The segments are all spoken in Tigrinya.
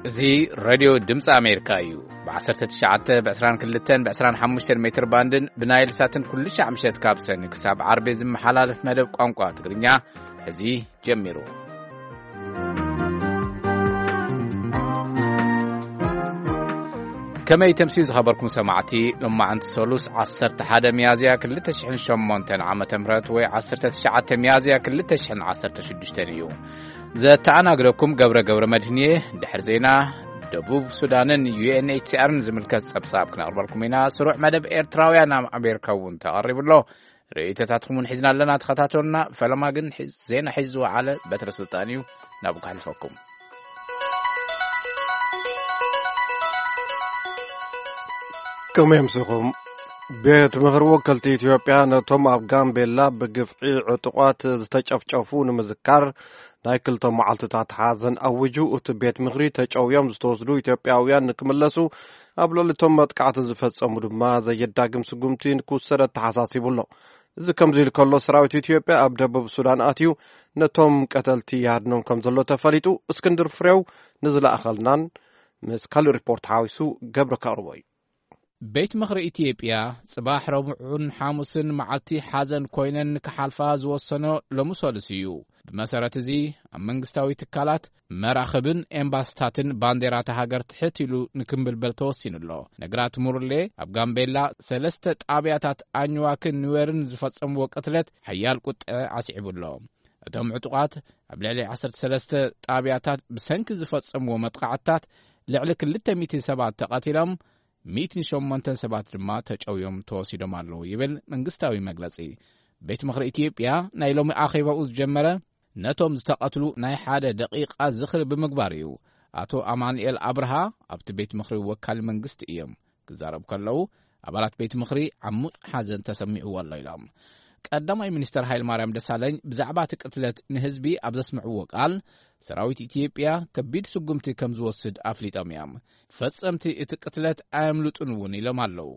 እዚ ሬድዮ ድምፂ ኣሜሪካ እዩ። ብ19፣ ብ22፣ ብ25 ሜትር ባንድን ብናይል ሳትን ኩሉ ሻዕ ምሸት ካብ ሰኒ ክሳብ ዓርቢ ዝመሓላለፍ መደብ ቋንቋ ትግርኛ እዚ ጀሚሩ። ከመይ ተምስዩ ዝኸበርኩም ሰማዕቲ፣ ሎማዓንቲ ሰሉስ 11 ሚያዝያ 2008 ዓመተ ምህረት ወይ 19 ሚያዝያ 2016 እዩ። ዘተኣናግደኩም ገብረ ገብረ መድህንየ። ድሕሪ ዜና፣ ደቡብ ሱዳንን ዩ ኤን ኤች ሲ ኣርን ዝምልከት ጸብጻብ ክነቕርበልኩም ኢና። ስሩዕ መደብ ኤርትራውያን ኣብ ኣሜሪካ እውን ተቐሪቡ ኣሎ። ርእይቶታትኩም እውን ሒዝና ኣለና፣ ተኸታተሉና። ፈለማ ግን ሒ-፣ ዜና ሒዙ ዝወዓለ በትረ ስልጣን እዩ፣ ናብኡ ከሕልፈኩም። ከመይ ኣምሲኹም? ቤት ምኽሪ ወከልቲ ኢትዮጵያ ነቶም ኣብ ጋምቤላ ብግፍዒ ዕጡቓት ዝተጨፍጨፉ ንምዝካር ናይ ክልተ መዓልትታት ሓዘን ኣዊጁ። እቲ ቤት ምኽሪ ተጨውዮም ዝተወስዱ ኢትዮጵያውያን ንክምለሱ፣ ኣብ ልዕሊ እቶም መጥቃዕቲ ዝፈጸሙ ድማ ዘየዳግም ስጉምቲ ንክውሰድ ኣተሓሳሲቡ ኣሎ። እዚ ከምዚ ኢሉ ከሎ፣ ሰራዊት ኢትዮጵያ ኣብ ደቡብ ሱዳን ኣትዩ ነቶም ቀተልቲ ይሃድኖም ከም ዘሎ ተፈሊጡ። እስክንድር ፍሬው ንዝለኣኸልናን ምስ ካልእ ሪፖርት ሓዊሱ ገብረ ከቕርቦ እዩ። ቤት ምኽሪ ኢትዮጵያ ጽባሕ ረቡዕን ሓሙስን መዓልቲ ሓዘን ኮይነን ክሓልፋ ዝወሰኖ ሎሚ ሰሉስ እዩ። ብመሰረት እዚ፣ ኣብ መንግስታዊ ትካላት፣ መራኽብን ኤምባስታትን ባንዴራታ ሃገር ትሕት ኢሉ ንክምብልበል ተወሲኑ ኣሎ። ነግራት ሙርሌ ኣብ ጋምቤላ ሰለስተ ጣብያታት ኣኝዋክን ኑዌርን ዝፈጸምዎ ቅትለት ሓያል ቁጥዐ ኣስዒቡ ኣሎ። እቶም ዕጡቓት ኣብ ልዕሊ 13 ጣብያታት ብሰንኪ ዝፈጸምዎ መጥቃዕትታት ልዕሊ 200 ሰባት ተቐቲሎም፣ 108 ሰባት ድማ ተጨውዮም ተወሲዶም ኣለዉ ይብል መንግስታዊ መግለጺ። ቤት ምኽሪ ኢትዮጵያ ናይ ሎሚ ኣኼባኡ ዝጀመረ ነቶም ዝተቐትሉ ናይ ሓደ ደቂቓ ዝኽሪ ብምግባር እዩ። ኣቶ ኣማኑኤል ኣብርሃ ኣብቲ ቤት ምኽሪ ወካሊ መንግስቲ እዮም። ክዛረቡ ከለዉ፣ ኣባላት ቤት ምኽሪ ዓሙቕ ሓዘን ተሰሚዕዎ ኣሎ ኢሎም። ቀዳማይ ሚኒስተር ሃይለማርያም ደሳለኝ ብዛዕባ እቲ ቅትለት ንህዝቢ ኣብ ዘስምዕዎ ቃል፣ ሰራዊት ኢትዮጵያ ከቢድ ስጉምቲ ከም ዝወስድ ኣፍሊጦም እዮም። ፈጸምቲ እቲ ቅትለት ኣየምልጡን እውን ኢሎም ኣለዉ።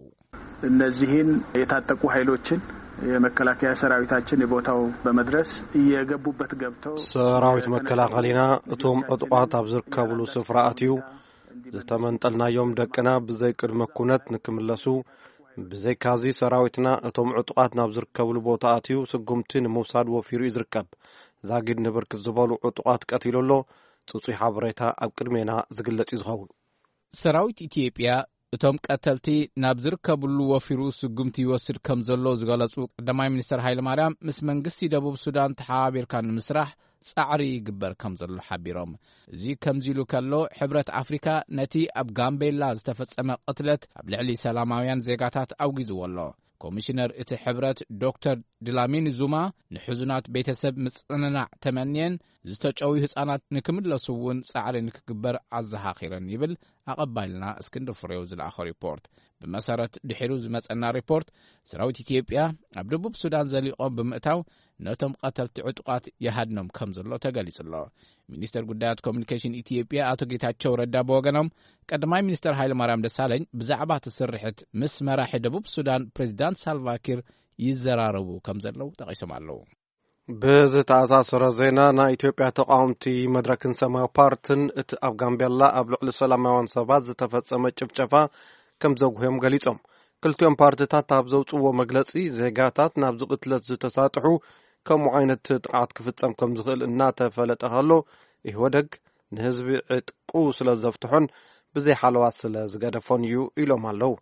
እነዚህን የታጠቁ ኃይሎችን የመከላከያ ሰራዊታችን የቦታው በመድረስ እየገቡበት ገብተው ሰራዊት መከላኸሊና እቶም ዕጡቓት ኣብ ዝርከብሉ ስፍራ ኣትዩ፣ ዝተመንጠልናዮም ደቅና ብዘይ ቅድመ ኩነት ንክምለሱ፣ ብዘይካዚ ሰራዊትና እቶም ዕጡቓት ናብ ዝርከብሉ ቦታ ኣትዩ ስጉምቲ ንምውሳድ ወፊሩ እዩ ዝርከብ። ዛጊድ ንብርክት ዝበሉ ዕጡቓት ቀቲሉ ኣሎ። ጽጹይ ሓበሬታ ኣብ ቅድሜና ዝግለጽ እዩ ዝኸውን። ሰራዊት ኢትዮጵያ እቶም ቀተልቲ ናብ ዝርከብሉ ወፊሩ ስጉምቲ ይወስድ ከም ዘሎ ዝገለጹ ቀዳማይ ሚኒስተር ሃይለማርያም፣ ምስ መንግስቲ ደቡብ ሱዳን ተሓባቢርካ ንምስራሕ ጻዕሪ ይግበር ከም ዘሎ ሓቢሮም። እዚ ከምዚ ኢሉ ከሎ፣ ሕብረት ኣፍሪካ ነቲ ኣብ ጋምቤላ ዝተፈጸመ ቅትለት ኣብ ልዕሊ ሰላማውያን ዜጋታት ኣውጊዝዎ ኣሎ። ኮሚሽነር እቲ ሕብረት ዶክተር ድላሚኒ ዙማ ንሕዙናት ቤተሰብ ምጽንናዕ ተመንየን፣ ዝተጨውዩ ህጻናት ንክምለሱ እውን ጻዕሪ ንክግበር ኣዘኻኺረን ይብል ኣቐባይልና እስክንድር ፍሬው ዝለኣኾ ሪፖርት። ብመሰረት ድሒሩ ዝመጸና ሪፖርት፣ ሰራዊት ኢትዮጵያ ኣብ ደቡብ ሱዳን ዘሊቖም ብምእታው ነቶም ቀተልቲ ዕጡቓት ይሃድኖም ከም ዘሎ ተገሊጹ ኣሎ። ሚኒስተር ጉዳያት ኮሚኒኬሽን ኢትዮጵያ ኣቶ ጌታቸው ረዳ ብወገኖም፣ ቀዳማይ ሚኒስተር ሃይለማርያም ደሳለኝ ብዛዕባ እቲ ስርሕት ምስ መራሒ ደቡብ ሱዳን ፕሬዚዳንት ሳልቫኪር ይዘራረቡ ከም ዘለዉ ጠቒሶም ኣለዉ። ብዝተኣሳሰረ ዜና፣ ናይ ኢትዮጵያ ተቃወምቲ መድረክን ሰማያዊ ፓርትን እቲ ኣብ ጋምቤላ ኣብ ልዕሊ ሰላማውያን ሰባት ዝተፈጸመ ጭፍጨፋ ከም ዘጉህዮም ገሊጾም። ክልቲኦም ፓርትታት ኣብ ዘውጽእዎ መግለጺ፣ ዜጋታት ናብዚ ቅትለት ዝተሳጥሑ ከምኡ ዓይነት ጥቕዓት ክፍጸም ከም ዝኽእል እናተፈለጠ ከሎ፣ ኢህወደግ ንህዝቢ ዕጥቁ ስለ ዘፍትሖን ብዘይ ሓለዋ ስለ ዝገደፎን እዩ ኢሎም ኣለዉ።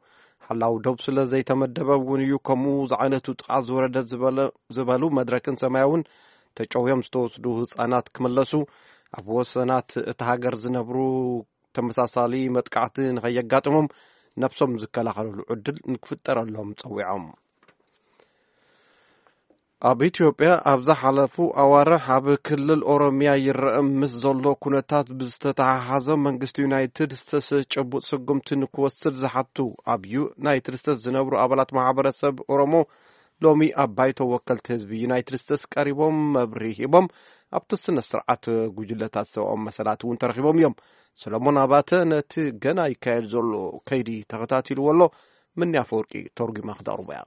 ሓላው ዶብ ስለ ዘይተመደበ እውን እዩ ከምኡ ዝዓይነቱ ጥቕዓት ዝወረደ ዝበለ-፣ ዝበሉ መድረክን ሰማያውን ተጨውዮም ዝተወስዱ ህጻናት ክምለሱ፣ ኣብ ወሰናት እታ ሃገር ዝነብሩ ተመሳሳሊ መጥቃዕቲ ንኸየጋጥሞም ነብሶም ዝከላኸልሉ ዕድል ንክፍጠረሎም ጸዊዖም። ኣብ ኢትዮጵያ ኣብ ዝሓለፉ ኣዋርሕ ኣብ ክልል ኦሮሚያ ይረአ ምስ ዘሎ ኩነታት ብዝተተሓሓዘ መንግስቲ ዩናይትድ ስቴትስ ጭቡጥ ስጉምቲ ንክወስድ ዝሓቱ ኣብ ዩናይትድ ስቴትስ ዝነብሩ ኣባላት ማሕበረሰብ ኦሮሞ ሎሚ ኣብ ባይቶ ወከልቲ ህዝቢ ዩናይትድ ስቴትስ ቀሪቦም መብርሂ ሂቦም። ኣብቲ ስነ ስርዓት ጉጅለታት ሰብኣዊ መሰላት እውን ተረኺቦም እዮም። ሰሎሞን ኣባተ ነቲ ገና ይካየድ ዘሎ ከይዲ ተኸታቲልዎ ኣሎ። ምንያ ኣፈወርቂ ተርጉማ ክተቕርቦ እያ።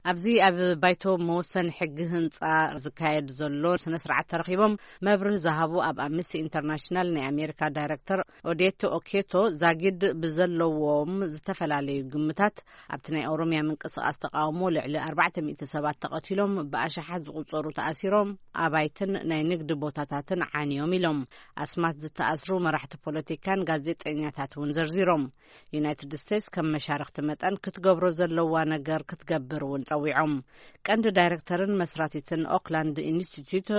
ኣብዚ ኣብ ባይቶ መወሰኒ ሕጊ ህንጻ ዝካየድ ዘሎ ስነ ስርዓት ተረኺቦም መብርህ ዝሃቡ ኣብ ኣምነስቲ ኢንተርናሽናል ናይ ኣሜሪካ ዳይረክተር ኦዴት ኦኬቶ፣ ዛጊድ ብዘለዎም ዝተፈላለዩ ግምታት ኣብቲ ናይ ኦሮሚያ ምንቅስቃስ ተቃውሞ ልዕሊ ኣርባዕተ ሚእቲ ሰባት ተቐቲሎም፣ ብኣሽሓት ዝቁጸሩ ተኣሲሮም፣ ኣባይትን ናይ ንግዲ ቦታታትን ዓንዮም ኢሎም። ኣስማት ዝተኣስሩ መራሕቲ ፖለቲካን ጋዜጠኛታት እውን ዘርዚሮም። ዩናይትድ ስቴትስ ከም መሻርክቲ መጠን ክትገብሮ ዘለዋ ነገር ክትገብር እውን ጸዊዖም። ቀንዲ ዳይረክተርን መስራቲትን ኦክላንድ ኢንስቲትዩት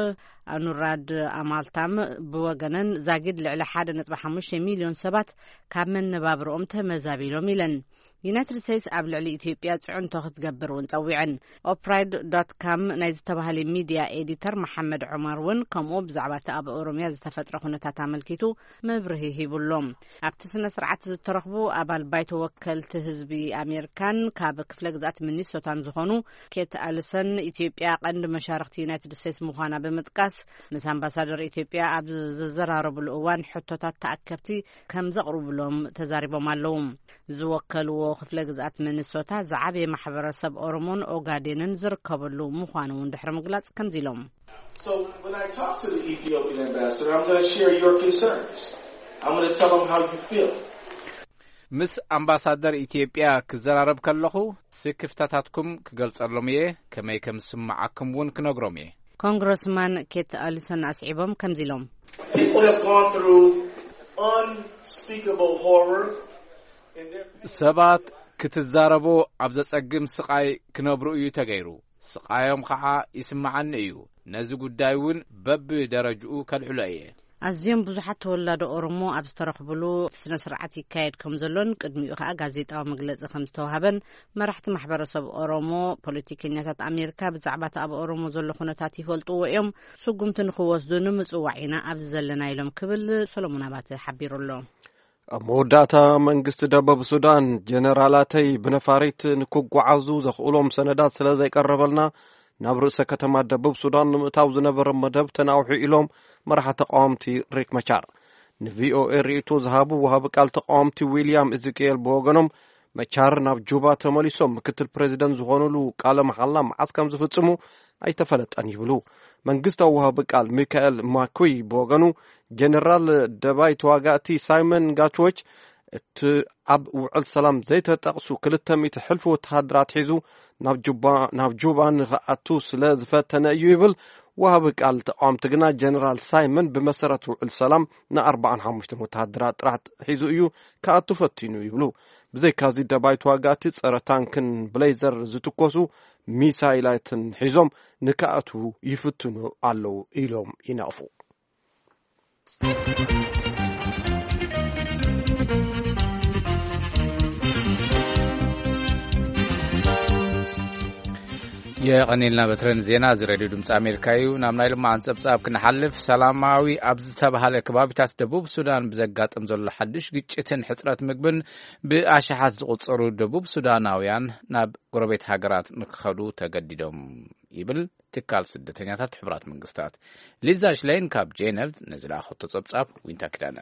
ኣኑራድ ኣማልታም ብወገነን፣ ዛጊድ ልዕሊ ሓደ ነጥቢ ሓሙሽተ ሚልዮን ሰባት ካብ መነባብርኦም ተመዛቢሎም ኢለን። ዩናይትድ ስቴትስ ኣብ ልዕሊ ኢትዮጵያ ጽዕንቶ ክትገብር እውን ጸዊዐን። ኦፕራይድ ዶት ካም ናይ ዝተባህለ ሚድያ ኤዲተር መሓመድ ዑመር እውን ከምኡ ብዛዕባ እቲ ኣብ ኦሮሚያ ዝተፈጥረ ኩነታት ኣመልኪቱ መብርሂ ሂቡሎም። ኣብቲ ስነ ስርዓት ዝተረኽቡ ኣባል ባይቶ ወከልቲ ህዝቢ ኣሜሪካን ካብ ክፍለ ግዛት ሚኒሶታን ዝኾኑ ኬት ኣልሰን፣ ኢትዮጵያ ቀንዲ መሻርክቲ ዩናይትድ ስቴትስ ምዃና ብምጥቃስ፣ ምስ ኣምባሳደር ኢትዮጵያ ኣብ ዝዘራረብሉ እዋን ሕቶታት ተኣከብቲ ከም ዘቕርብሎም ተዛሪቦም ኣለዉ። ዝወከልዎ ክፍለ ግዛት ሚኒሶታ ዝዓበየ ማሕበረሰብ ኦሮሞን ኦጋዴንን ዝርከበሉ ምዃኑ እውን ድሕሪ ምግላጽ ከምዚ ኢሎም። So when I talk to the Ethiopian ambassador, I'm going to share your concerns. I'm going to tell them how you feel. ምስ ኣምባሳደር ኢትዮጵያ ክዘራረብ ከለኹ ስክፍታታትኩም ክገልጸሎም እየ፣ ከመይ ከም ዝስምዓኩም እውን ክነግሮም እየ። ኮንግረስማን ኬት ኣሊሰን ኣስዒቦም ከምዚ ኢሎም። People have gone through unspeakable horror in their ሰባት ክትዛረቦ ኣብ ዘጸግም ስቓይ ክነብሩ እዩ ተገይሩ። ስቓዮም ኸዓ ይስምዓኒ እዩ። ነዚ ጉዳይ እውን በብደረጅኡ ከልዕሎ እየ። ኣዝዮም ብዙሓት ተወላዶ ኦሮሞ ኣብ ዝተረኽብሉ ስነ ስርዓት ይካየድ ከም ዘሎን ቅድሚኡ ኸዓ ጋዜጣዊ መግለጺ ከም ዝተዋህበን፣ መራሕቲ ማሕበረሰብ ኦሮሞ፣ ፖለቲከኛታት ኣሜሪካ ብዛዕባ እቲ ኣብ ኦሮሞ ዘሎ ኩነታት ይፈልጥዎ እዮም። ስጉምቲ ንኽወስዱ ንምጽዋዕ ኢና ኣብዚ ዘለና ኢሎም ክብል ሰሎሞን ኣባተ ሓቢሩ ኣሎ። ኣብ መወዳእታ መንግስቲ ደቡብ ሱዳን፣ ጀነራላተይ ብነፋሪት ንክጓዓዙ ዘኽእሎም ሰነዳት ስለ ዘይቀረበልና ናብ ርእሰ ከተማ ደቡብ ሱዳን ንምእታው ዝነበረ መደብ ተናውሑ ኢሎም መራሒ ተቃወምቲ ሪክ መቻር ንቪኦኤ ርእይቶ ዝሃቡ ወሃቢ ቃል ተቃወምቲ ዊልያም እዝቅኤል ብወገኖም፣ መቻር ናብ ጁባ ተመሊሶም ምክትል ፕሬዚደንት ዝኾኑሉ ቃለ መሓላ መዓስ ከም ዝፍጽሙ ኣይተፈለጠን ይብሉ። መንግስታዊ ወሃቢ ቃል ሚካኤል ማኩይ ብወገኑ፣ ጀነራል ደባይ ተዋጋእቲ ሳይመን ጋትዎች እቲ ኣብ ውዕል ሰላም ዘይተጠቕሱ ክልተ ሚእቲ ሕልፊ ወተሃደራት ሒዙ ናብ ጁባ፣ ናብ ጁባ ንኽኣቱ ስለ ዝፈተነ እዩ ይብል። ወሃቢ ቃል ተቃወምቲ ግና፣ ጀነራል ሳይመን ብመሰረት ውዕል ሰላም ንኣርባዓን ሓሙሽተን ወተሃደራት ጥራሕ ሒዙ እዩ ክኣቱ ፈቲኑ ይብሉ። ብዘይካዚ፣ ደባይ ተዋጋእቲ ጸረ ታንክን ብሌዘር ዝትኮሱ ሚሳይላትን ሒዞም ንክኣትዉ ይፍትኑ ኣለዉ ኢሎም ይነቕፉ። የቐኒልና በትረን ዜና። እዚ ሬድዮ ድምፂ ኣሜሪካ እዩ። ናብ ናይ ልማዓን ጸብጻብ ክንሓልፍ፣ ሰላማዊ ኣብ ዝተባሃለ ከባቢታት ደቡብ ሱዳን ብዘጋጥም ዘሎ ሓድሽ ግጭትን ሕጽረት ምግብን ብኣሽሓት ዝቑጸሩ ደቡብ ሱዳናውያን ናብ ጎረቤት ሃገራት ንክኸዱ ተገዲዶም ይብል ትካል ስደተኛታት ሕቡራት መንግስታት። ሊዛ ሽሌን ካብ ጄነቭ ንዝለኣኸቶ ጸብጻብ ዊንታ ኪዳነ።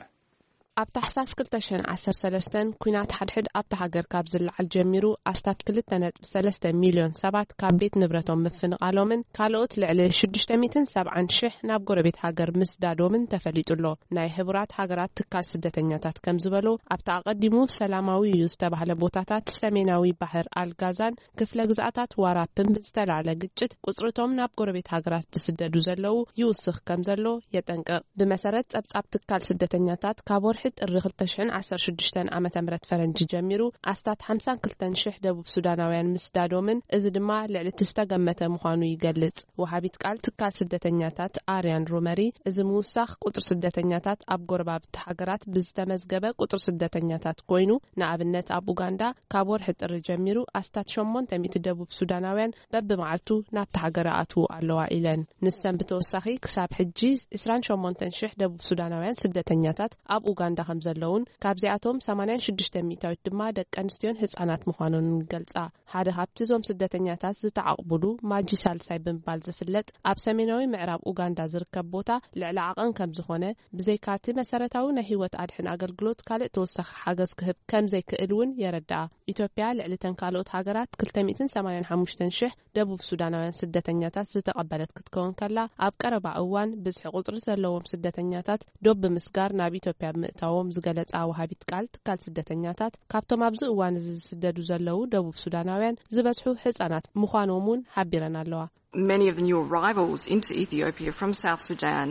ኣብ ታሕሳስ ክልተ ሽሕን ዓሰርተ ሰለስተን ኲናት ሓድሕድ ኣብታ ሃገር ካብ ዝለዓል ጀሚሩ፣ ኣስታት ክልተ ነጥቢ ሰለስተ ሚልዮን ሰባት ካብ ቤት ንብረቶም ምፍንቓሎምን ካልኦት ልዕሊ ሽዱሽተ ሚእትን ሰብዓን ሽሕ ናብ ጎረቤት ሃገር ምስዳዶምን ተፈሊጡ ኣሎ። ናይ ሕቡራት ሃገራት ትካል ስደተኛታት ከም ዝበሎ፣ ኣብቲ ኣቐዲሙ ሰላማዊ እዩ ዝተባህለ ቦታታት ሰሜናዊ ባሕር ኣልጋዛን ክፍለ ግዝኣታት ዋራፕን ብዝተላዕለ ግጭት ቁጽርቶም ናብ ጎረቤት ሃገራት ዝስደዱ ዘለዉ ይውስኽ ከም ዘሎ የጠንቅቕ። ብመሰረት ጸብጻብ ትካል ስደተኛታት፣ ካብ ወርሒ ጥሪ ክልተ ሽሕን ዓሰርተ ሽዱሽተን ዓመተ ምህረት ፈረንጂ ጀሚሩ ኣስታት ሓምሳን ክልተን ሽሕ ደቡብ ሱዳናውያን ምስዳዶምን፣ እዚ ድማ ልዕሊ እቲ ዝተገመተ ምዃኑ ይገልጽ። ወሃቢት ቃል ትካል ስደተኛታት ኣርያን ሮመሪ፣ እዚ ምውሳኽ ቁጽሪ ስደተኛታት ኣብ ጎረባብቲ ሃገራት ብዝተመዝገበ ቁጽሪ ስደተኛታት ኮይኑ፣ ንኣብነት ኣብ ኡጋንዳ ካብ ወርሒ ጥሪ ጀሚሩ ኣስታት ሸሞንተ ሚእቲ ደቡብ ሱዳናውያን በብመዓልቱ ናብቲ ሃገር ኣትዉ ኣለዋ ኢለን። ንሰን ብተወሳኺ ክሳብ ሕጂ ዕስራን ሸሞንተን ሽሕ ደቡብ ሱዳናውያን ስደተኛታት ኣብ ኡጋንዳ እንዳ ከም ዘለውን፣ ካብዚኣቶም ሰማንያን ሽዱሽተ ሚእታዊት ድማ ደቂ ኣንስትዮን ህጻናት ምዃኖን ይገልጻ። ሓደ ካብቲ እዞም ስደተኛታት ዝተዓቕቡሉ ማጂ ሳልሳይ ብምባል ዝፍለጥ፣ ኣብ ሰሜናዊ ምዕራብ ኡጋንዳ ዝርከብ ቦታ ልዕሊ ዓቐን ከም ዝኾነ፣ ብዘይካቲ መሰረታዊ ናይ ህይወት ኣድሕን ኣገልግሎት ካልእ ተወሳኺ ሓገዝ ክህብ ከም ዘይክእል እውን የረድኣ። ኢትዮጵያ ልዕሊተን ካልኦት ሃገራት ክልተ ሚእትን ሰማንያን ሓሙሽተን ሽሕ ደቡብ ሱዳናውያን ስደተኛታት ዝተቐበለት ክትከውን ከላ፣ ኣብ ቀረባ እዋን ብዝሒ ቁጽሪ ዘለዎም ስደተኛታት ዶብ ብምስጋር ናብ ኢትዮጵያ ብምእታዎም ዝገለጻ ወሃቢት ቃል ትካል ስደተኛታት፣ ካብቶም ኣብዚ እዋን እዚ ዝስደዱ ዘለዉ ደቡብ ሱዳናውያን ዝበዝሑ ህጻናት ምዃኖም እውን ሓቢረን ኣለዋ። Many of the new arrivals into Ethiopia from South Sudan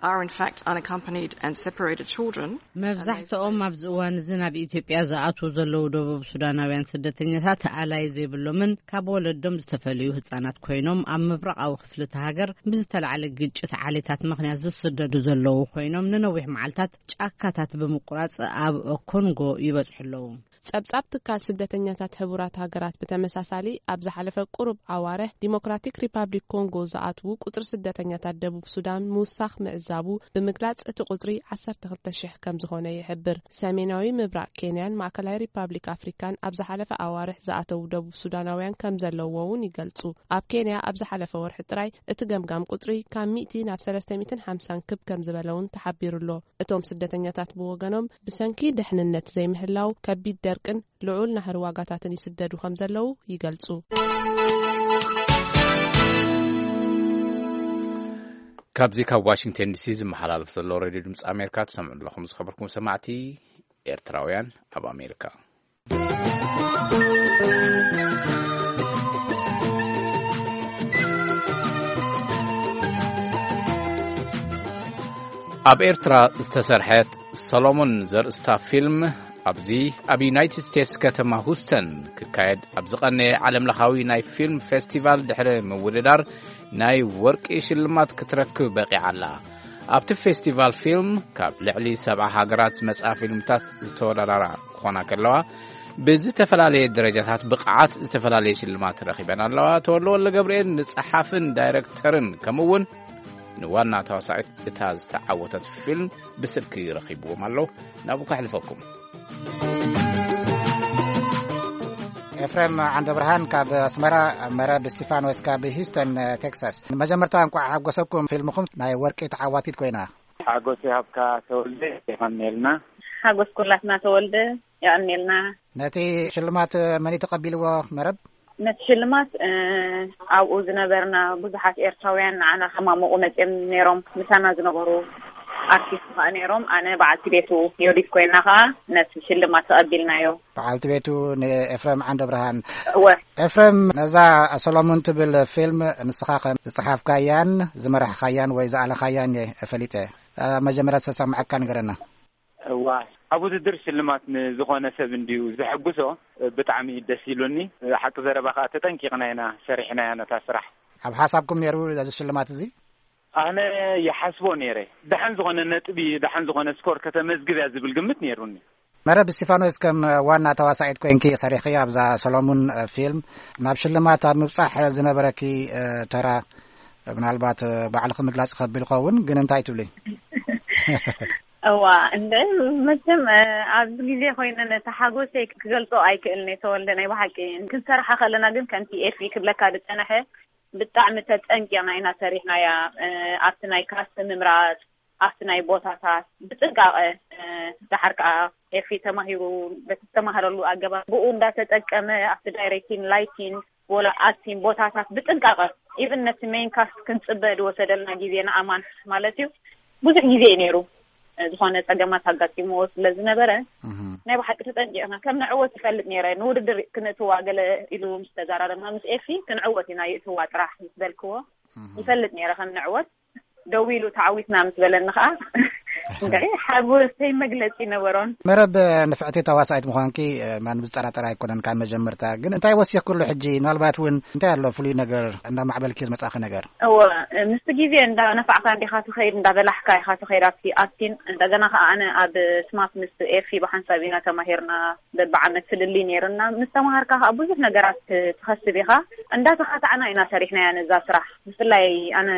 are in fact unaccompanied and separated children. መብዛሕትኦም ኣብዚ እዋን እዚ ናብ ኢትዮጵያ ዝኣትዉ ዘለዉ ደቡብ ሱዳናውያን ስደተኛታት ኣላይ ዘይብሎምን ካብ ወለዶም ዝተፈለዩ ህጻናት ኮይኖም፣ ኣብ ምብራቓዊ ክፍሊ እቲ ሃገር ብዝተላዕለ ግጭት ዓሌታት ምኽንያት ዝስደዱ ዘለዉ ኮይኖም፣ ንነዊሕ መዓልታት ጫካታት ብምቁራጽ ኣብ ኮንጎ ይበጽሑ ኣለዉ። ጸብጻብ ትካል ስደተኛታት ሕቡራት ሃገራት ብተመሳሳሊ፣ ኣብ ዝሓለፈ ቁሩብ ኣዋርሕ ዲሞክራቲክ ሪፓብሊክ ኮንጎ ዝኣትዉ ቁጽሪ ስደተኛታት ደቡብ ሱዳን ምውሳኽ ምዕዛቡ ብምግላጽ፣ እቲ ቁጽሪ ዓሰርተ ክልተ ሽሕ ከም ዝኾነ ይሕብር። ሰሜናዊ ምብራቕ ኬንያን ማእከላይ ሪፓብሊክ ኣፍሪካን ኣብ ዝሓለፈ ኣዋርሕ ዝኣተዉ ደቡብ ሱዳናውያን ከም ዘለውዎ እውን ይገልጹ። ኣብ ኬንያ ኣብ ዝሓለፈ ወርሒ ጥራይ እቲ ገምጋም ቁጽሪ ካብ ሚእቲ ናብ ሰለስተ ሚእትን ሓምሳን ክብ ከም ዝበለ እውን ተሓቢሩ ኣሎ። እቶም ስደተኛታት ብወገኖም፣ ብሰንኪ ድሕንነት ዘይምህላው፣ ከቢድ ደርቅን ልዑል ናህሪ ዋጋታትን ይስደዱ ከም ዘለዉ ይገልጹ። ካብዚ ካብ ዋሽንግተን ዲሲ ዝመሓላለፍ ዘሎ ሬድዮ ድምፂ ኣሜሪካ ትሰምዑ ኣለኹም። ዝኸበርኩም ሰማዕቲ ኤርትራውያን ኣብ ኣሜሪካ። ኣብ ኤርትራ ዝተሰርሐት ሰሎሞን ዘርእስታ ፊልም፣ ኣብዚ ኣብ ዩናይትድ ስቴትስ ከተማ ሁስተን ክካየድ ኣብ ዝቐነየ ዓለምለኻዊ ናይ ፊልም ፌስቲቫል ድሕሪ ምውድዳር፣ ናይ ወርቂ ሽልማት ክትረክብ በቒዓ ኣላ። ኣብቲ ፌስቲቫል ፊልም ካብ ልዕሊ ሰብዓ ሃገራት ዝመጽኣ ፊልምታት ዝተወዳደራ ክኾና ከለዋ፣ ብዝተፈላለየ ደረጃታት ብቕዓት ዝተፈላለየ ሽልማት ረኺበን ኣለዋ። ተወልደ ወልደ ገብርኤል ንጸሓፍን ዳይረክተርን ከምኡ እውን ንዋና ተዋሳኢት እታ ዝተዓወተት ፊልም ብስልኪ ረኺብዎም ኣሎ። ናብኡ ከሕልፈኩም። ኤፍሬም ዓንደ ብርሃን ካብ ኣስመራ፣ መረብ እስቲፋኖስ ካብ ሂውስተን ቴክሳስ። መጀመርታ እንቋዕ ሓጎሰኩም፣ ፊልምኹም ናይ ወርቂ ተዓዋቲት ኮይና። ሓጎስ ይሃብካ ተወልደ፣ የቐንየልና። ሓጎስ ኩላትና ተወልደ፣ የቐንየልና። ነቲ ሽልማት መን እዩ ተቐቢልዎ መረብ? ነቲ ሽልማት፣ እ፣ ኣብኡ ዝነበርና ብዙሓት ኤርትራውያን ንዓና ከማሙቑ መጺኦም ነይሮም። ምሳና ዝነበሩ ኣርቲስት ከኣ ነይሮም። ኣነ በዓልቲ ቤቱ ዮዲት ኮይና ከኣ ነቲ ሽልማት ተቐቢልናዮ። በዓልቲ ቤቱ ንኤፍሬም ዓንደ ብርሃን። እወ። ኤፍሬም፣ ነዛ ሰሎሞን ትብል ፊልም ንስኻ ከም ዝጸሓፍካያን ዝመራሕኻያን ወይ ዝኣለኻያን እየ ፈሊጠ። ኣብ መጀመርያ ዝተሰማዓካ ንገረና። እዋ፣ ኣብ ውድድር ሽልማት ንዝኾነ ሰብ እንድዩ ዘሐጉሶ። ብጣዕሚ ደስ ኢሉኒ። ሓቂ ዘረባ ከኣ ተጠንቂቕና ኢና ሰሪሕናያ ነታ ስራሕ። ኣብ ሓሳብኩም ነይሩ እዚ ሽልማት እዚ? ኣነ ይሓስቦ ነይረ። ደሓን ዝኾነ ነጥቢ፣ ደሓን ዝኾነ ስኮር ከተመዝግብ እያ ዝብል ግምት ነይሩኒ። መረብ እስቲፋኖስ፣ ከም ዋና ተዋሳኢት ኮይንኪ ሰሪሕኺ ኣብዛ ሰሎሙን፣ እ፣ ፊልም፣ ናብ ሽልማት ኣብ ምብጻሕ ዝነበረኪ፣ እ፣ ተራ ምናልባት፣ እ፣ ባዕልኺ ምግላጽ ይኸብድ ይኸውን፣ ግን እንታይ ትብሊ? እዋ፣ እንደ መቸም፣ እ፣ ኣብዚ ግዜ ኮይነ ነቲ ሓጎሰይ ክገልጾ ኣይክእልን እየ ተወልደ። ናይ ብሓቂ ክንሰርሓ ከለና ግን ከምቲ ኤፊ ክብለካ ዝጸንሐ ብጣዕሚ ተጸንቂቕና ኢና ሰሪሕናያ። እ፣ ኣብቲ ናይ ካስት ምምራጽ፣ ኣብቲ ናይ ቦታታት ብጥንቃቐ፣ እ፣ ደሓር ከኣ ኤፊ ተማሂሩ በቲ ዝተማሃረሉ ኣገባብ ብኡ እንዳተጠቀመ ኣብቲ ዳይሬክቲንግ፣ ላይቲንግ፣ ወላ ኣክቲንግ ቦታታት ብጥንቃቐ፣ ኢቭን ነቲ ሜን ካስት ክንጽበ ዝወሰደልና ግዜ ንኣማን ማለት እዩ ብዙሕ ግዜ እዩ ነይሩ። እ፣ ዝኾነ ጸገማት ኣጋጢምዎ ስለ ዝነበረ እህ። ናይ ብሓቂ ተጠንቂቕና ከም ንዕወት ይፈልጥ ነይረ። ንውድድር ክንእትዋ ገለ ኢሉ ምስ ተዛራረብና ምስ ኤፊ ክንዕወት ኢና ይእትዋ ጥራሕ ምስ በልክዎ እህ። ይፈልጥ ነይረ ከም ንዕወት። ደው ኢሉ ተዓዊትና ምስ በለኒ ከኣ እንግዲህ ሓጎሰይ መግለጺ ነበሮን። መረብ፣ ንፍዕቲ ተዋሳኢት ምዃንኪ፣ እ፣ ማንም ዝጠራጠር ኣይኮነን ካብ መጀመርታ። ግን እንታይ ወሲኽክሉ ሕጂ? ምናልባት እውን እንታይ ኣሎ ፍሉይ ነገር እንዳማዕበልኪ ዝመጻኺ ነገር? እወ፣ ምስቲ ግዜ እንዳነፋዕካ እንዲኻ ትኸይድ፣ እንዳበላሕካ ኢኻ ትኸይድ ኣብቲ ኣክቲን። እንደገና ከኣ ኣነ ኣብ ስማት ምስ ኤፊ ብሓንሳብ ኢና ተማሂርና፣ በብዓመት ፍልልይ ነይሩና። ምስ ተማሃርካ ከኣ ብዙሕ ነገራት ትኸስብ ኢኻ። እንዳተኻታዕና ኢና ሰሪሕናያ ነዛ ስራሕ። ብፍላይ ኣነ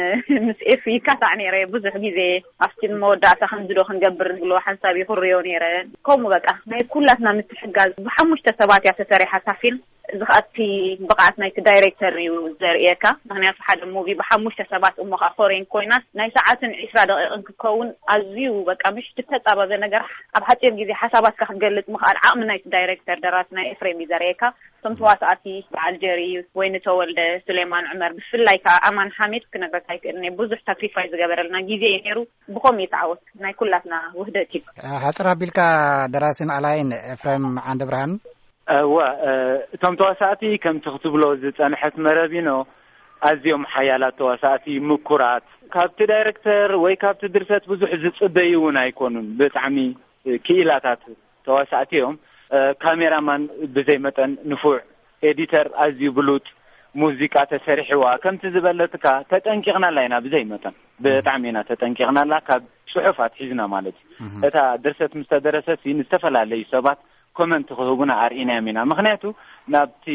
ምስ ኤፊ ይካታዕ ነይረ ብዙሕ ግዜ። ኣብቲ መወዳእታ ከም እዚ ዶ ክንገብር ዝብሎ ሓንሳብ ይኽርዮ ነይረ። ከምኡ በቃ ናይ ኩላትና ምትሕጋዝ ብሓሙሽተ ሰባት እያ ተሰሪሓ እታ ፊልም። እዚ ከኣ እቲ ብቕዓት ናይቲ ዳይሬክተር እዩ ዘርእየካ። ምኽንያቱ ሓደ ሙቪ ብሓሙሽተ ሰባት እሞ ከኣ ፎሬን ኮይና ናይ ሰዓትን ዒስራ ደቂቕን ክከውን ኣዝዩ በቃ ምሽ ዝተጻበበ ነገር ኣብ ሓጺር ግዜ ሓሳባትካ ክትገልጽ ምኽኣል ዓቕሚ ናይቲ ዳይሬክተር ደራሲ ናይ ኤፍሬም እዩ ዘርእየካ። እቶም ተዋሳእቲ በዓል ጀሪ፣ ወይኒ ተወልደ፣ ሱሌማን ዑመር፣ ብፍላይ ከኣ ኣማን ሓሚድ ክነግረካ ኣይክእልን እየ። ብዙሕ ሳክሪፋይ ዝገበረልና ግዜ እዩ ነይሩ። ብኸምኡ እዩ ተዓወት። ናይ ኩላትና ውህደት እዩ። ሓጽር ኣቢልካ ደራሲን ኣላይን ኤፍሬም ዓንደ ብርሃን። እወ፣ እ፣ እቶም ተዋሳእቲ ከምቲ ክትብሎ ዝጸንሐት መረቢኖ ኣዝዮም ሓያላት ተዋሳእቲ፣ ምኩራት፣ ካብቲ ዳይሬክተር ወይ ካብቲ ድርሰት ብዙሕ ዝጽበዩ እውን ኣይኮኑን። ብጣዕሚ ክኢላታት ተዋሳእቲ እዮም። እ፣ ካሜራማን ብዘይ መጠን ንፉዕ፣ ኤዲተር ኣዝዩ ብሉጥ፣ ሙዚቃ ተሰሪሕዋ ከምቲ ዝበለትካ ተጠንቂቕናላ ኢና ብዘይ መጠን። ብጣዕሚ ኢና ተጠንቂቕናላ፣ ካብ ጽሑፍ ኣትሒዝና ማለት እዩ። እታ ድርሰት ምስ ተደረሰት ሲ ንዝተፈላለዩ ሰባት ኮመንት ክህቡና ኣርኢናዮም ኢና። ምኽንያቱ ናብቲ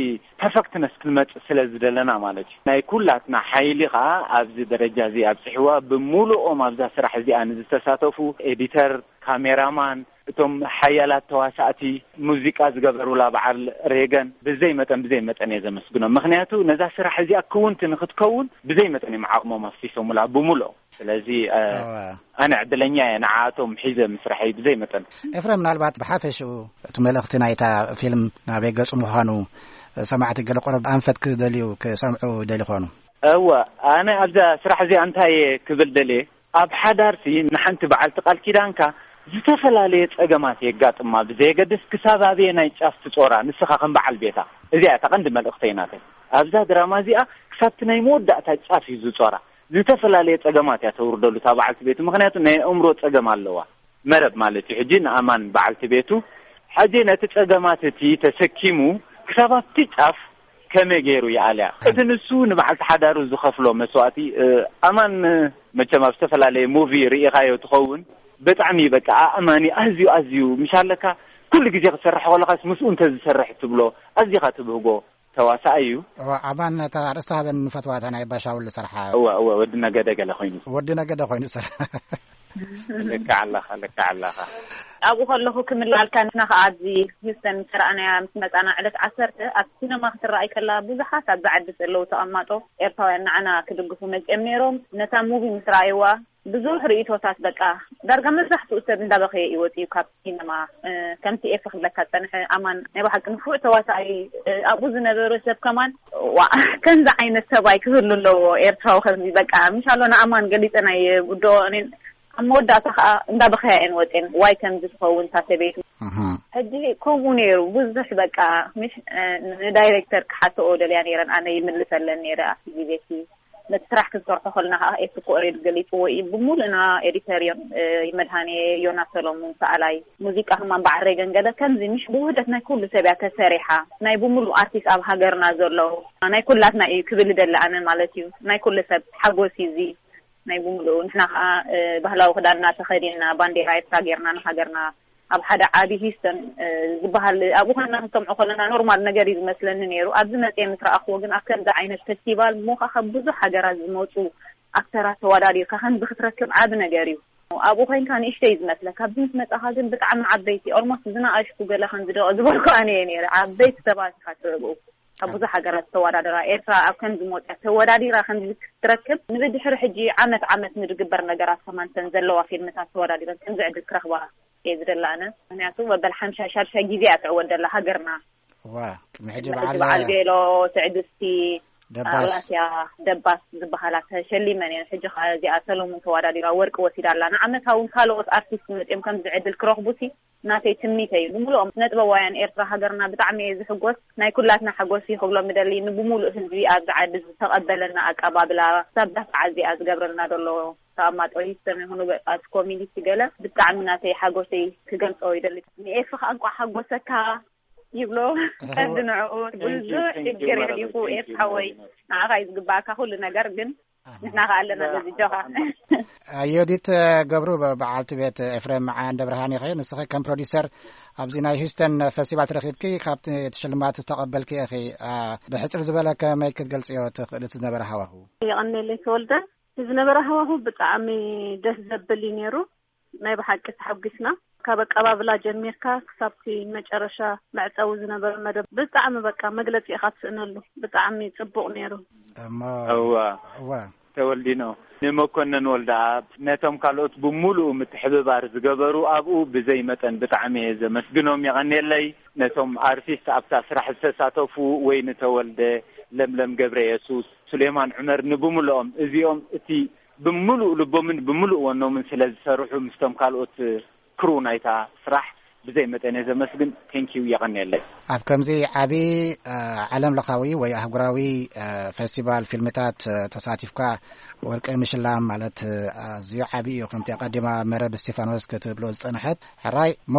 ፐርፈክትነስ ክንመጽእ ስለ ዝደለና ማለት እዩ። ናይ ኩላትና ሓይሊ ከኣ ኣብዚ ደረጃ እዚ ኣብጽሕዋ። ብምሉኦም ኣብዛ ስራሕ እዚኣ ንዝተሳተፉ፣ ኤዲተር፣ ካሜራማን፣ እቶም ሓያላት ተዋሳእቲ፣ ሙዚቃ ዝገበሩላ በዓል ሬገን ብዘይ መጠን፣ ብዘይ መጠን እየ ዘመስግኖም። ምኽንያቱ ነዛ ስራሕ እዚኣ ክውንቲ ንክትከውን ብዘይ መጠን እዮም ዓቕሞም ኣፍሲሶምላ ብምሉኦም። ስለዚ፣ እ፣ ኣዋ። ኣነ ዕድለኛ እየ ንዓኣቶም ሒዘ ምስራሐይ ብዘይ መጠን። ኤፍሬም፣ ምናልባት ብሓፈሽኡ እቲ መልእኽቲ ናይታ ፊልም ናበይ ገጹ ምዃኑ ሰማዕቲ ገለ ቁሩብ ኣንፈት ክደልዩ ክሰምዑ ይደልዩ ይኾኑ። እወ፣ ኣነ ኣብዛ ስራሕ እዚኣ እንታይ እየ ክብል ደልየ፣ ኣብ ሓዳርሲ ንሓንቲ በዓልቲ ቃል ኪዳንካ ዝተፈላለየ ጸገማት የጋጥማ፣ ብዘየገድስ ክሳብ ኣበየ ናይ ጫፍ ትጾራ፣ ንስኻ ከም በዓል ቤታ። እዚኣ እታ ቀንዲ መልእኽተይ ናተይ። ኣብዛ ድራማ እዚኣ ክሳብቲ ናይ መወዳእታ ጫፍ እዩ ዝጾራ። ዝተፈላለየ ጸገማት እያ ተውርደሉ እታ በዓልቲ ቤቱ፣ ምኽንያቱ ናይ ኣእምሮ ጸገም ኣለዋ። መረብ ማለት እዩ። ሕጂ ንኣማን በዓልቲ ቤቱ፣ ሕጂ ነቲ ጸገማት እቲ ተሰኪሙ ክሳብ ኣብቲ ጫፍ ከመይ ገይሩ ይኣልያ? እቲ ንሱ ንበዓልቲ ሓዳሩ ዝኸፍሎ መስዋእቲ፣ እ፣ ኣማን መቸም ኣብ ዝተፈላለየ ሙቪ ርኢኻዮ ትኸውን። ብጣዕሚ በቃ ኣእማኒ ኣዝዩ፣ ኣዝዩ ምሽ ኣለካ። ኩሉ ግዜ ክትሰርሕ ከለኻስ ምስኡ እንተ ዝሰርሕ ትብሎ፣ ኣዚኻ ትብህጎ ተዋሳኣይ እዩ። እወ፣ ኣማን ነታ ኣርእስቲ ሃበን ንፈትዋ፣ እታ ናይ ባሻውል ዝሰርሓ። እወ፣ እወ፣ ወዲ ነገደ ገለ ኮይኑ። ወዲ ነገደ ኮይኑ ዝሰርሓ። ልክዕ ኣለኻ፣ ልክዕ ኣለኻ። ኣብኡ ከለኹ ክምላልካ፣ ንሕና ኸዓ ኣብዚ ሂውስተን ምስ ረኣናያ ምስ መጻና ዕለት ዓሰርተ ኣብ ሲነማ ክትረኣይ ከላ ብዙሓት ኣብዚ ዓዲ ዘለዉ ተቐማጦ ኤርትራውያን ንዓና ክድግፉ መጺኦም ነይሮም። ነታ ሙቪ ምስ ረኣይዋ ብዙሕ ርእይቶታት በቃ ዳርጋ መብዛሕትኡ ሰብ እንዳበኸየ እዩ ወጺኡ ካብ ሲነማ። እ፣ ከምቲ ኤፍ ክብለካ ጸንሐ ኣማን ናይ ብሓቂ ንፉዕ ተዋሳኣይ፣ እ፣ ኣብኡ ዝነበረ ሰብ ከማን ዋ ከምዚ ዓይነት ሰብኣይ ክህሉ ኣለዎ ኤርትራዊ ከምዚ በቃ ምሻሎ ንኣማን ገሊጸ ናይ ጉዶ እኔን ኣብ መወዳእታ ከዓ እንዳበኸያ እየን ወጼን ዋይ ከምዚ ትኸውን እታ ሰበይቱ። እህ። ሕጂ ከምኡ ነይሩ ብዙሕ በቃ ምሽ፣ እ፣ ንዳይሬክተር ክሓተኦ ደልያ ነይረን ኣነ ይምልሰለን ነይረ ኣብቲ ግዜ እቲ ነቲ ስራሕ ክንሰርሖ ከለና ከዓ ኤፍ ኮሬድ ገሊፅዎ እዩ። ብምሉእና ኤዲተር እዮም፣ እ፣ መድሃኔ፣ ዮናስ ሰሎሙን፣ ሰኣላይ ሙዚቃ፣ ህማን በዓል ሬገን ገለ ከምዚ ምሽ ብውህደት ናይ ኩሉ ሰብ እያ ተሰሪሓ። ናይ ብምሉእ ኣርቲስት ኣብ ሃገርና ዘሎ ናይ ኩላትና እዩ ክብል ደለ ኣነ ማለት እዩ። ናይ ኩሉ ሰብ ሓጎስ እዩ እዚ ናይ ብምሉእ። ንሕና ከዓ፣ እ፣ ባህላዊ ክዳንና ተኸዲንና ባንዴራ ኤርትራ ጌርና ንሃገርና ኣብ ሓደ ዓቢ ሂስተን፣ እ፣ ዝበሃል ኣብኡ ኮይንና ክንሰምዖ ከለና ኖርማል ነገር እዩ ዝመስለኒ ነይሩ። ኣብዚ መጽየ ምስ ረኣኽዎ ግን ኣብ ከምዚ ዓይነት ፌስቲቫል እሞ ከኣ ካብ ብዙሕ ሃገራት ዝመጹ ኣክተራት ተወዳዲርካ ከምዚ ክትረክብ ዓቢ ነገር እዩ። ኣብኡ ኮይንካ ንእሽተይ እዩ ዝመስለካ። ኣብዚ ምስ መጻኻ ግን ብጣዕሚ ዓበይቲ፣ ኦልሞስት ዝነኣሽኩ ገለ ከምዚ ዶ ዝበልኩ ኣነ እየ ነይረ። ዓበይቲ ሰባት ኢኻ ትርኢ ብኡ። ካብ ብዙሕ ሃገራት ዝተወዳደራ ኤርትራ ኣብ ከምዚ መወጽያ ተወዳዲራ ከምዚ ክትረክብ ንብድሕሪ ሕጂ ዓመት ዓመት ንድግበር ነገራት ከማን ተን ዘለዋ ፊልምታት ተወዳዲረን ከምዚ ዕድል ክረኽባ እየ ዝደሊ ኣነ። ምኽንያቱ መበል ሓምሻይ ሻድሻይ ግዜ እያ ትዕወት ዘላ ሃገርና። ዋ፣ ቅድሚ ሕጂ መበል በዓል በዓል ቤሎ፣ ትዕግስቲ፣ ደባስ። ኣላስያ፣ ደባስ ዝበሃላ ተሸሊመን እየን። ሕጂ ኸኣ እዚኣ ሰሎሙን ተወዳዲራ ወርቂ ወሲዳ ኣላ። ንዓመታ እውን ካልኦት ኣርቲስት መጺኦም ከምዚ ዕድል ክረኽቡሲ ናተይ ትምኒተይ እዩ። ብምልኦም ስነ ጥበባውያን ኤርትራ ሃገርና ብጣዕሚ እየ ዝሕጎስ። ናይ ኩላትና ሓጎስ እዩ ክብሎም ምደሊ። ንብምሉእ ህዝቢ ኣብዚ ዓዲ ዝተቐበለና ኣቀባብላ፣ ክሳብ ዳፍዓ እዚኣ ዝገብረልና ዘሎ ተቐማጦ ሂስተን ይኹኑ በቃ እቲ ኮሚኒቲ ገለ ብጣዕሚ ናተይ ሓጎሰይ ክገልጾ ይደሊ። ንኤፍ ከኣ እንቋዕ ሓጎሰካ ይብሎ። እህ፣ ቀንዲ ንዕኡ thank you፣ ብዙሕ thank you፣ ሽግር መረብ፣ የሕሊፉ thank ኤፍ you፣ ሓወይ። መረብ። ንዓኻ እዩ ዝግባኣካ ኩሉ ነገር ግን ኣሃ። ንሕና ከኣ ኣለና በዚ ጆኻ። ኣዮዲት ገብሩ በ-፣ በዓልቲ ቤት ኤፍሬም ዓንደ ብርሃን ኢኺ። ንስኺ ከም ፕሮዲሰር ኣብዚ ናይ ሂውስተን ፌስቲቫል ተረኺብኪ ካብቲ እቲ ሽልማት ዝተቐበልኪ ኢኺ። ኣ፣ ብሕጽር ዝበለ ከመይ ክትገልጽዮ ትኽእሊ እቲ ዝነበረ ሃዋሁ? የቐኔለይ ተወልደ። እቲ ዝነበረ ሃዋሁ ብጣዕሚ ደስ ዘብል እዩ ነይሩ። ናይ ብሓቂ ተሓጒስና። ካብ ኣቀባብላ ጀሚርካ ክሳብቲ መጨረሻ መዕጸዊ ዝነበረ መደብ ብጣዕሚ በቃ መግለጺ ኢኻ ትስእነሉ። ብጣዕሚ ጽቡቕ ነይሩ። እሞ እዋ። እዋ። ተወልዲኖ፣ ንመኮነን ወልደኣብ፣ ነቶም ካልኦት ብምሉኡ ምትሕብባር ዝገበሩ ኣብኡ ብዘይ መጠን ብጣዕሚ እየ ዘመስግኖም። የቐንየለይ። ነቶም ኣርቲስት ኣብታ ስራሕ ዝተሳተፉ፣ ወይ ንተወልደ፣ ለምለም ገብረ የሱስ፣ ሱሌማን ዑመር፣ ንብምልኦም እዚኦም እቲ ብምሉእ ልቦምን ብምሉእ ወኖምን ስለ ዝሰርሑ፣ ምስቶም ካልኦት ክሩ ናይታ ስራሕ ብዘይ መጠን እየ ዘመስግን። ቴንኪዩ፣ የቐንየለይ። ኣብ ከምዚ ዓቢ ዓለም ለኻዊ ወይ ኣህጉራዊ ፈስቲቫል ፊልምታት ተሳቲፍካ ወርቂ ምሽላም ማለት ኣዝዩ ዓቢ እዩ። ከምቲ ኣቐዲማ መረብ እስቲፋኖስ ክትብሎ ዝጸንሐት። ሕራይ እሞ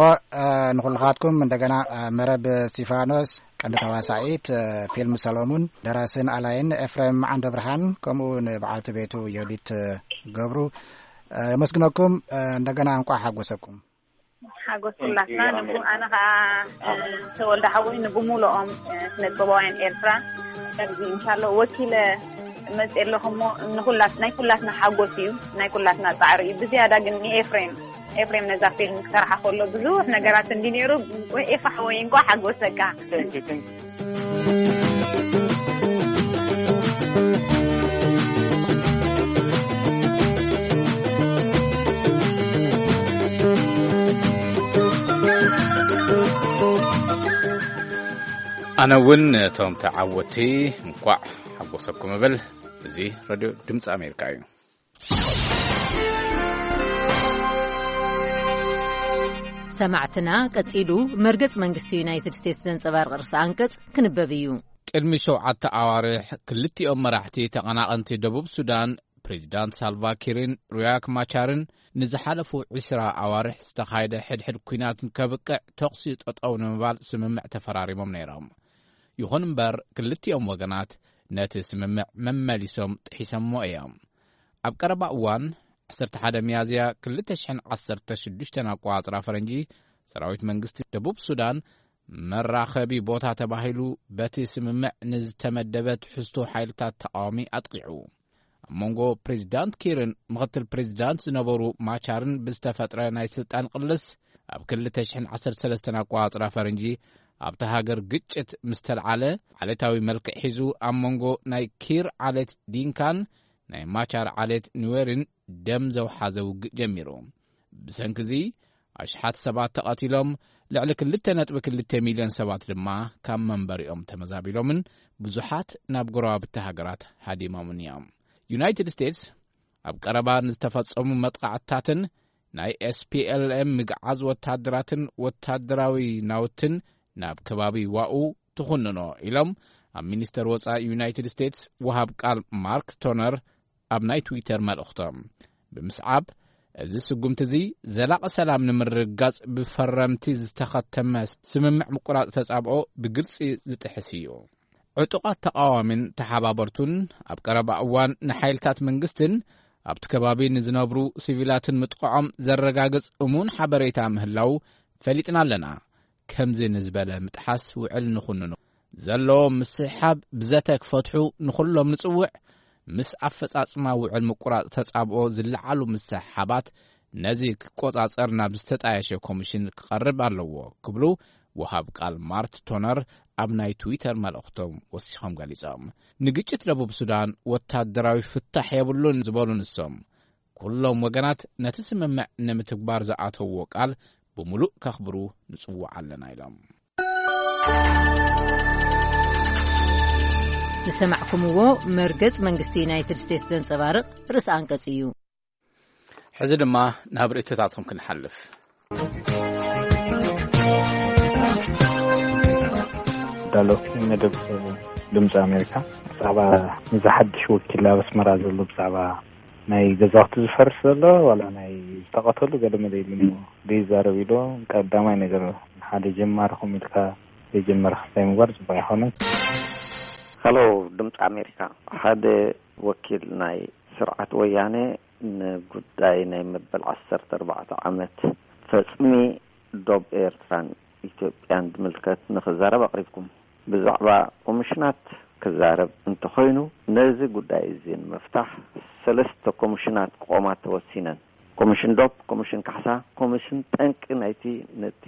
ንኹልኻትኩም እንደገና መረብ እስቲፋኖስ፣ ቀንዲ ተዋሳኢት ፊልም ሰሎሙን፣ ደራስን ኣላይን ኤፍሬም ዓንደ ብርሃን፣ ከምኡ ንበዓልቲ ቤቱ ዮዲት ገብሩ የመስግነኩም። እንደገና እንቋዕ ሓጎሰኩም። ሓጎስ ኩላትና ንቡ ኣነ ከዓ ተወልደ ሓወይ ንብሙሉኦም ስነጥበባውያን ኤርትራ ከምዚ እንሻሎ ወኪለ መፅእ ኣለኹ እሞ ንኩላት ናይ ኩላትና ሓጎስ እዩ፣ ናይ ኩላትና ፃዕሪ እዩ። ብዝያዳ ግን ንኤፍሬም ኤፍሬም ነዛ ፊልም ክሰርሓ ከሎ ብዙሕ ነገራት እንዲ ነይሩ። ኤፋ ሓወይ እንኳ ሓጎሰካ። ኣነ እውን ነቶም ተዓወቲ እንኳዕ ሓጎሰኩም እብል። እዚ ሬድዮ ድምፂ ኣሜሪካ እዩ። ሰማዕትና ቀጺሉ መርገጽ መንግስቲ ዩናይትድ ስቴትስ ዘንጸባርቕ ርእሰ ኣንቀጽ ክንበብ እዩ። ቅድሚ ሸውዓተ ኣዋርሕ ክልቲኦም መራሕቲ ተቐናቐንቲ ደቡብ ሱዳን ፕሬዚዳንት ሳልቫኪርን ሩያክ ማቻርን ንዝሓለፉ ዕስራ ኣዋርሕ ዝተኻየደ ሕድሕድ ኲናት ከብቅዕ ተኹሲ ጠጠው ንምባል ስምምዕ ተፈራሪሞም ነይሮም። ይኹን እምበር ክልቲኦም ወገናት ነቲ ስምምዕ መመሊሶም ጥሒሰሞ እዮም። ኣብ ቀረባ እዋን ዓሰርተ ሓደ ሚያዝያ ክልተ ሽሕን ዓሰርተ ሽዱሽተን ኣቆጻጽራ ፈረንጂ ሰራዊት መንግስቲ ደቡብ ሱዳን መራኸቢ ቦታ ተባሂሉ በቲ ስምምዕ ንዝተመደበ ትሕዝቶ ሓይልታት ተቓዋሚ ኣጥቂዑ። ኣብ መንጎ ፕሬዚዳንት ኪርን ምኽትል ፕሬዚዳንት ዝነበሩ ማቻርን ብዝተፈጥረ ናይ ስልጣን ቅልስ ኣብ ክልተ ሽሕን ዓሰርተ ሰለስተን ኣቆጻጽራ ፈረንጂ ኣብታ ሃገር ግጭት ምስ ተልዓለ ዓሌታዊ መልክዕ ሒዙ ኣብ መንጎ ናይ ኪር ዓሌት ዲንካን ናይ ማቻር ዓሌት ኑዌርን ደም ዘውሓዘ ውግእ ጀሚሩ። ብሰንኪ እዚ ኣሽሓት ሰባት ተቐቲሎም፣ ልዕሊ ክልተ ነጥቢ ክልተ ሚልዮን ሰባት ድማ ካብ መንበሪኦም ተመዛቢሎምን ብዙሓት ናብ ጎረባብቲ ሃገራት ሃዲሞምን እዮም። ዩናይትድ ስቴትስ ኣብ ቀረባ ንዝተፈጸሙ መጥቓዕትታትን ናይ ኤስፒኤልኤም ምግዓዝ ወታደራትን ወታደራዊ ናውትን ናብ ከባቢ ዋኡ ትኹንኖ ኢሎም ኣብ ሚኒስተር ወጻኢ ዩናይትድ ስቴትስ ወሃብ ቃል ማርክ ቶነር ኣብ ናይ ትዊተር መልእኽቶም ብምስዓብ፣ እዚ ስጉምቲ እዚ ዘላቒ ሰላም ንምርግጋጽ ብፈረምቲ ዝተኸተመ ስምምዕ ምቁራጽ ተጻብኦ ብግልጺ ዝጥሕስ እዩ። ዕጡቓት ተቓዋሚን ተሓባበርቱን ኣብ ቀረባ እዋን ንሓይልታት መንግስትን ኣብቲ ከባቢ ንዝነብሩ ሲቪላትን ምጥቃዖም ዘረጋግጽ እሙን ሓበሬታ ምህላው ፈሊጥና ኣለና። ከምዚ ንዝበለ ምጥሓስ ውዕል ንኹንኖ። ዘለዎ ምስሕሓብ ብዘተ ክፈትሑ ንኹሎም ንጽውዕ። ምስ ኣፈጻጽማ ውዕል ምቁራጽ ተጻብኦ ዝለዓሉ ምስሕሓባት ነዚ ክቆጻጸር ናብ ዝተጣየሸ ኮሚሽን ክቐርብ ኣለዎ ክብሉ ወሃብ ቃል ማርት ቶነር ኣብ ናይ ትዊተር መልእኽቶም ወሲኾም ገሊጾም። ንግጭት ደቡብ ሱዳን ወታደራዊ ፍታሕ የብሉን ዝበሉ ንሶም፣ ኩሎም ወገናት ነቲ ስምምዕ ንምትግባር ዝኣተውዎ ቃል ብምሉእ ከኽብሩ ንጽውዕ ኣለና ኢሎም። ዝሰማዕኩምዎ መርገጽ መንግስቲ ዩናይትድ ስቴትስ ዘንጸባርቕ ርእሰ ኣንቀጽ እዩ። ሕዚ ድማ ናብ ርእይቶታትኩም ክንሓልፍ። ዳሎ መደብ ድምፂ ኣሜሪካ፣ ብዛዕባ እዚ ሓድሽ ወኪል ኣብ ኣስመራ ዘሎ ብዛዕባ ናይ ገዛውቲ ዝፈርስ ዘሎ ዋላ ናይ ዝተቐተሉ ገለ መለ ኢሉ ዘይዛረብ ኢሉ። ቀዳማይ ነገር ሓደ ጀማሪ ኮም ኢልካ ዘይጀመረ ክስታይ ምግባር ፅቡቅ ኣይኮነን። ሀሎ ድምፂ ኣሜሪካ፣ ሓደ ወኪል ናይ ስርዓት ወያነ ንጉዳይ ናይ መበል ዓሰርተ ኣርባዕተ ዓመት ፈፅሚ ዶብ ኤርትራን ኢትዮጵያን ዝምልከት ንክዛረብ ኣቕሪብኩም። ብዛዕባ ኮሚሽናት ክዛረብ እንተኾይኑ፣ ነዚ ጉዳይ እዚ ንምፍታሕ ሰለስተ ኮሚሽናት ክቖማ ተወሲነን። ኮሚሽን ዶብ፣ ኮሚሽን ካሕሳ፣ ኮሚሽን ጠንቂ ናይቲ ነቲ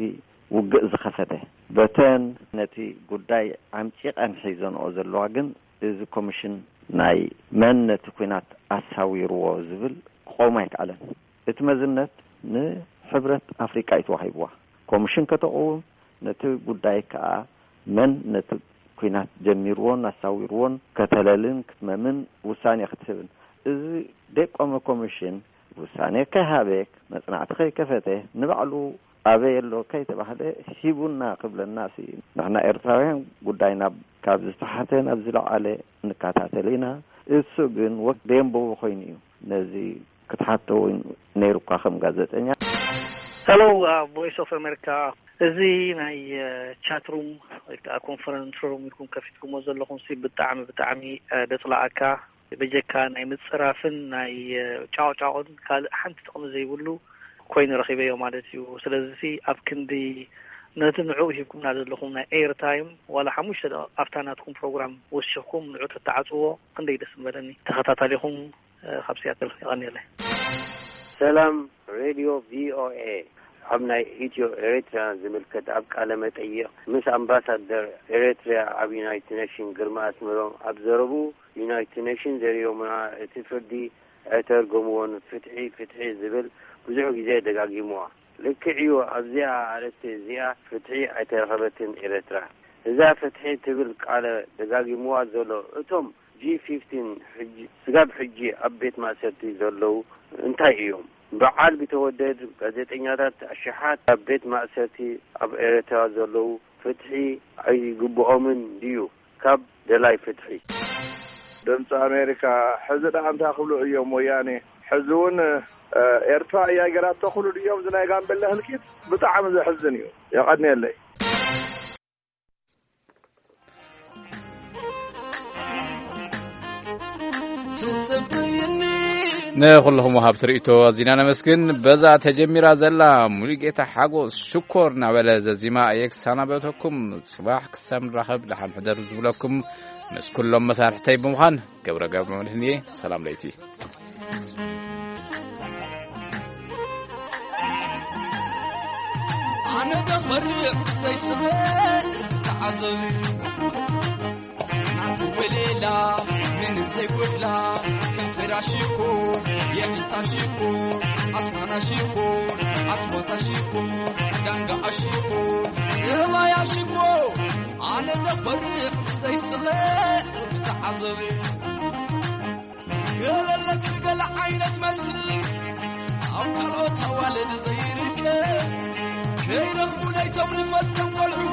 ውግእ ዝኸፈተ። በተን ነቲ ጉዳይ ዓምጪቐን ሒዘንኦ ዘለዋ ግን፣ እዚ ኮሚሽን ናይ መን ነቲ ኲናት ኣሳዊርዎ ዝብል ክቆም ኣይከኣለን። እቲ መዝነት ንሕብረት ኣፍሪቃ እዩ ተዋሂብዋ። ኮሚሽን ከተቕውም፣ ነቲ ጉዳይ ከኣ መን ነቲ ኲናት ጀሚርዎን ኣሳዊርዎን ከተለልን ክትመምን ውሳኔ ክትህብን። እዚ ደይቆመ ኮሚሽን ውሳኔ ከይሃበ፣ መጽናዕቲ ከይከፈተ፣ ንባዕሉ ኣበይ ኣሎ ከይተባህለ ሂቡና ክብለና ሲ፣ ንሕና ኤርትራውያን ጉዳይ ናብ፣ ካብ ዝተሓተ ናብ ዝለዓለ ንከታተል ኢና። እሱ ግን ወክ ደንበቡ ኮይኑ እዩ። ነዚ ክትሓቶ እውን ነይሩካ ከም ጋዜጠኛ። Hello, uh, Voice of America. እዚ ናይ ቻት ሩም ወይ ከዓ ኮንፈረንስ ሩም ኢልኩም ከፊትኩሞ ዘለኹም ሲ ብጣዕሚ ብጣዕሚ፣ እ፣ ደፅላኣካ። በጀካ ናይ ምፅራፍን ናይ፣ እ፣ ጫቕጫቕን ካልእ ሓንቲ ጥቕሚ ዘይብሉ ኮይኑ ረኺበዮ ማለት እዩ። ስለዚ ሲ ኣብ ክንዲ ነቲ ንዕኡ ሂብኩምና ዘለኹም ናይ ኤርታይም ዋላ ሓሙሽተ ደቂቕ ኣብታ ናትኩም ፕሮግራም ወሲኽኩም ንዑ ተተዓፅዎ ክንደይ ደስ ምበለኒ። ተኸታታሊኹም፣ እ፣ ካብ ሲያትል የቐንየለይ። ሰላም ሬድዮ ቪኦኤ። ኣብ ናይ ኢትዮ ኤርትራ ዝምልከት ኣብ ቃለ መጠይቕ ምስ ኣምባሳደር ኤርትራ ኣብ ዩናይትድ ኔሽን ግርማ ኣስመሮም ኣብ ዘረብኡ፣ ዩናይትድ ኔሽን ዘርዮምና እቲ ፍርዲ ኣይተርጎምዎን፣ ፍትሒ ፍትሒ ዝብል ብዙሕ ግዜ ደጋጊምዋ። ልክዕ እዩ፣ ኣብዚኣ ኣርእስቲ እዚኣ ፍትሒ ኣይተረኸበትን ኤርትራ። እዛ ፍትሒ ትብል ቃል ደጋጊምዋ ዘሎ እቶም ጂ ፊፍቲን ሕጂ፣ ስጋብ ሕጂ ኣብ ቤት ማእሰርቲ ዘለዉ እንታይ እዮም? በዓል ቢተወደድ፣ ጋዜጠኛታት ኣሽሓት ኣብ ቤት ማእሰርቲ ኣብ ኤርትራ ዘለዉ ፍትሒ ኣይግብኦምን ድዩ? ካብ ደላይ ፍትሒ። ድምፂ ኣሜሪካ፣ ሕዚ ደኣ እንታይ ክብሉ እዮም ወያኔ? ሕዚ እውን ኤርትራ እያ ገይራቶ ክብሉ ድዮም? እዚ ናይ ጋምቤላ ህልቂት ብጣዕሚ ዘሕዝን እዩ። የቐንየለይ። ንኹልኹም ወሃብቲ ርእይቶ ኣዚና ነመስግን። በዛ ተጀሚራ ዘላ ሙሉጌታ ሓጎስ ሽኮር እናበለ ዘዚማ እየ ክሰናበተኩም። ጽባሕ ክሳብ ንራኸብ ደሓን ሕደሩ ዝብለኩም ምስ ኩሎም መሳርሕተይ ብምዃን ገብረ ገብረ መድህን እየ። ሰላም ለይቲ። ኣነ ደኸርዕ ዘይስኸ እስኪ ተዓዘብ። ናቱ ወሌላ ምንም ዘይጎድላ፣ ከንፈራ ሽኮር፣ የዒንታ ሽኮር፣ ኣስናና ሽኮር፣ ኣትባታ ሽኮር፣ ዳንጋኣ ሽኮር፣ እህባያ ሽኮር። ኣነ ደኸርዕ ዘይስኸ እስኪ ተዓዘብ። ገለለክ ገለ ዓይነት መስል ኣብ ካልኦት ኣዋልድ ዘይርከብ፣ ከይረኽቡ ናይቶም ንፈልጦም ቆልዑ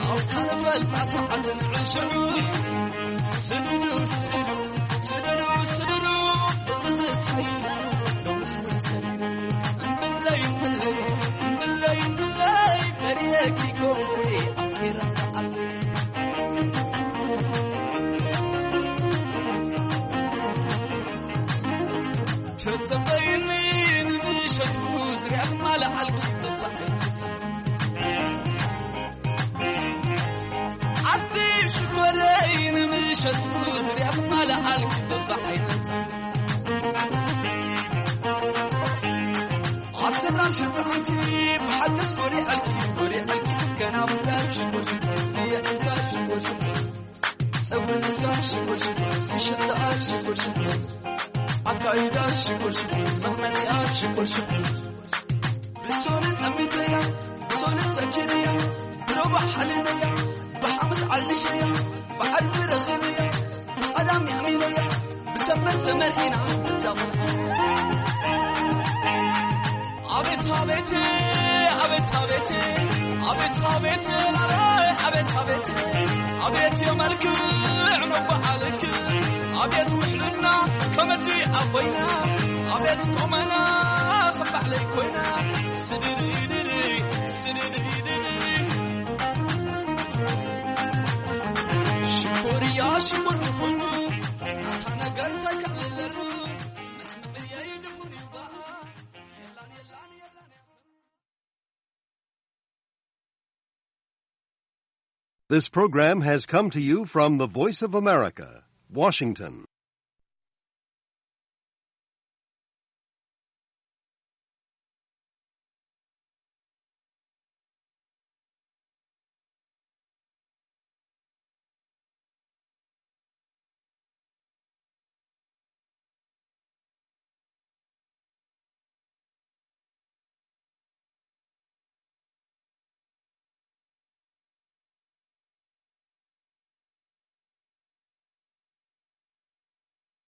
ኣብታ ንፈልጣ ሰዓት ንዕሽዑ። ስድዱ ስድዱ ስድዱ ስድዱ ብዝዝስ ሓይሉ ሎምስ መሰሊሉ። እምብለይ እምብለይ እምብለይ እምብለይ ፈሪየኪ ኮንኩ ኣኪራ ተዓሉ። ተጸበይኒ ንምሸቱ ዝርያት ማለ ኣልኩ ተባዕነት። ኣቲ ሽኮረይ ንምሸቱ ዝርያት ማለ ኣልኩ ተባዕነት። ኣብ ሰላም ሽጥዕንቲ ብሓድስ ጎሪዐልኪ ጎሪዐልኪ ከና ብራይ ሽኮር ሽኮር ትየዕልካ ሽኮር ሽኮር። ጸጉሪ ልዛ ሽኮር ሽኮር፣ ምሽጥኣ ሽኮር ሽኮር፣ ኣካይዳ ሽኮር ሽኮር፣ መቕመጢኣ ሽኮር ሽኮር። ብሶኒ ጠሚተያ፣ ብሶኒ ሰኪነያ፣ ብሮባ ሓሊመያ፣ ብሓሙስ ዓሊሸያ፣ ብዓርቢ ረኺበያ፣ ብቐዳም የዕሚነያ፣ ብሰንበት ተመርዒና፣ ብዛ ቆልዓ። ኣቤት ኣቤት ኣቤት ኣቤት ኣቤት ኣቤት ኣቤት ኣቤት ኣቤት የመልክዕ ነባዓልክ ኣቤት ውሕልና ከመዲ ኣኾይና ኣቤት ቆመና ክባዕለይ ኮይና ስድድድድ ስድድድድ ሽኮርያ ሽኮር ንኹሉ ናታ ነገር እንታይ ከዕልለሉ መስምዕየይ ድኹን ይባል። This program has come to you from the Voice of America, Washington.